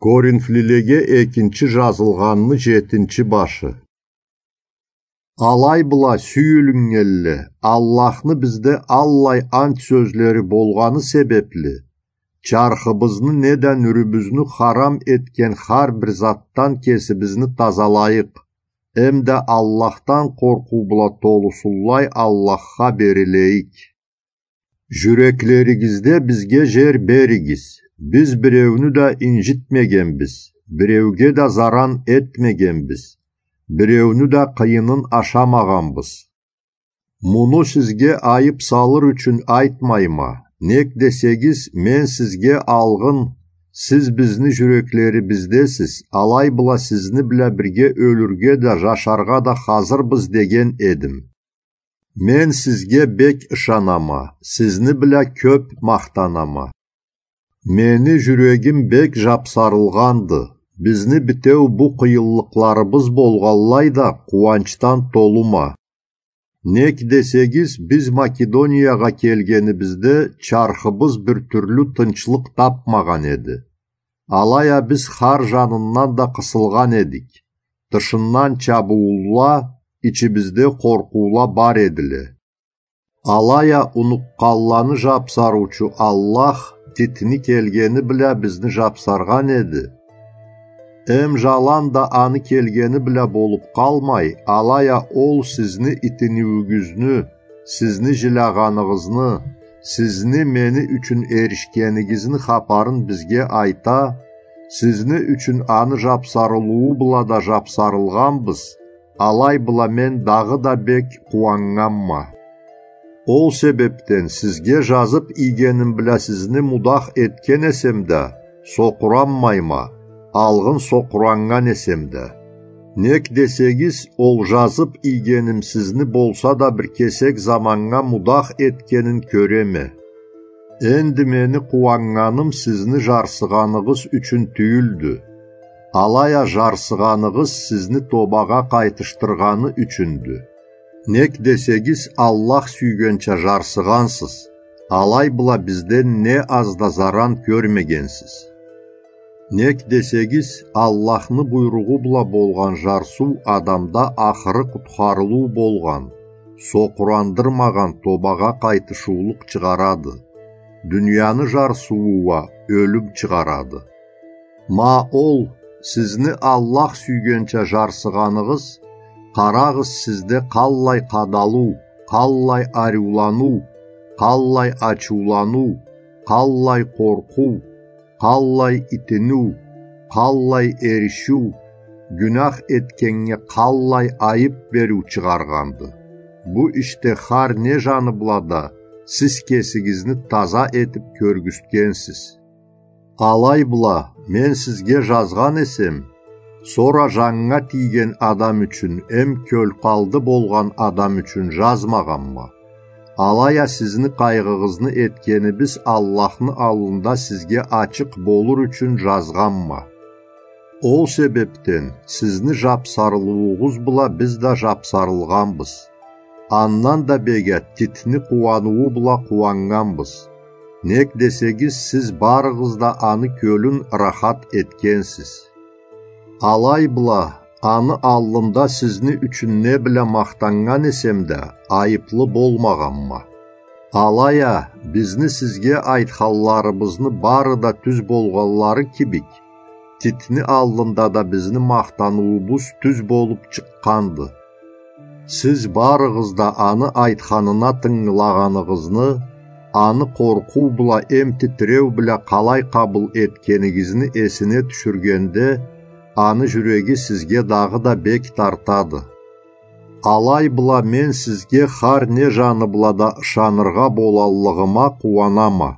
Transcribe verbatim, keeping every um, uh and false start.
Коринфлилеге экинчи жазылгъанны жетинчи башы. Алай бла, сюйюлюннгенле, Аллахны бизде аллай ант сёзлери болгъаны себепли, чархыбызны неда нюрюбюзню харам этген хар бир затдан кесибизни тазалайыкъ, эмда Аллахдан къоркъуу бла толусунлай Аллахха берилейик. Жюреклеригизде бизге жер беригиз. Биз биреуню да инжитмегенбиз, биреуге да заран этмегенбиз, биреуню да къыйынын ашамагъанбыз. Муну сизге айып салыр ючюн айтмайма. Нек десегиз, мен сизге алгъын, сиз бизни жюреклерибиздесиз, алай бла сизни бла бирге ёлюрге да, жашаргъа да хазырбыз деген эдим. Мен сизге бек ышанама, сизни бла кёп махтанама. Мени жюрегим бек жапсарылгъанды. Бизни битеу бу къыйынлыкъларыбыз болгъанлай да, къууанчдан толума. Нек десегиз, биз Македониягъа келгенибизде, чархыбыз бир тюрлю тынчлыкъ тапмагъан эди. Алай а биз хар жанындан да къысылгъан эдик. Тышындан чабыуулла, ичибизде къоркъуула бар эдиле. Алай а унукъгъанланы жапсарыучу Аллах Титни келгени бла бизни жапсаргъан эди. Эм жаланда аны келгени бла болуп къалмай, алай а ол сизни итиниуюгюзню, сизни жилягъаныгъызны, сизни мени ючюн эришгенигизни хапарын бизге айта, сизни ючюн аны жапсарылыуу бла да жапсарылгъанбыз, алай бла мен дагъыда бек къууаннганма. Ол себепден сизге жазып ийгеним бла сизни мудах этген эсем да, сокъуранмайма, алгъын сокъураннган эсем да. Нек десегиз, ол жазып ийгеним сизни болса да бир кесек заманнга мудах этгенин кёреме. Энди мени къууаннганым сизни жарсыгъаныгъыз ючюн тюйюлдю, алай а жарсыгъаныгъыз сизни тобагъа къайтышдыргъаны ючюндю. Нек десегиз, Аллах сюйгенча жарсыгъансыз, алай бла бизден не аз да заран кёрмегенсиз. Нек десегиз, Аллахны буйругъу бла болгъан жарсыу адамда ахыры къутхарылыу болгъан, сокъурандырмагъан тобагъа къайтышыулукъ чыгъарады. Дунияны жарсыуу уа ёлюм чыгъарады. Ма ол, сизни Аллах сюйгенча жарсыгъаныгъыз, къарагъыз, сизде къаллай къадалыу, къаллай ариуланыу, къаллай ачыуланыу, къаллай къоркъуу, къаллай итиниу, къаллай эришиу, гюнах этгеннге къаллай айып бериу чыгъаргъанды. Бу ишде хар не жаны бла да сиз кесигизни таза этип кёргюзтгенсиз. Алай бла, мен сизге жазгъан эсем, сора жаннга тийген адам ючюн эм кёлкъалды болгъан адам ючюн жазмагъанма. Алай а сизни къайгъыгъызны этгенибиз Аллахны аллында сизге ачыкъ болур ючюн жазгъанма. Ол себепден сизни жапсарылыуугъуз бла биз да жапсарылгъанбыз. Андан да бек а Титни къууаныуу бла къууаннганбыз. Нек десегиз, сиз барыгъыз да аны кёлюн ырахат этгенсиз. Алай бла, аны аллында сизни ючюн не бла махтаннган эсем да, айыплы болмагъанма. Алай а, бизни сизге айтханларыбызны бары да тюз болгъанлары кибик, Титни аллында да бизни махтаныуубуз тюз болуп чыкъгъанды. Сиз барыгъыз да аны айтханына тынгылагъаныгъызны, аны къоркъуу бла эм титиреу бла къалай къабыл этгенигизни эсине тюшюргенде, аны жюреги сизге дагъыда бек тартады. Алай бла мен сизге хар не жаны бла да ышаныргъа болаллыгъыма къууанама.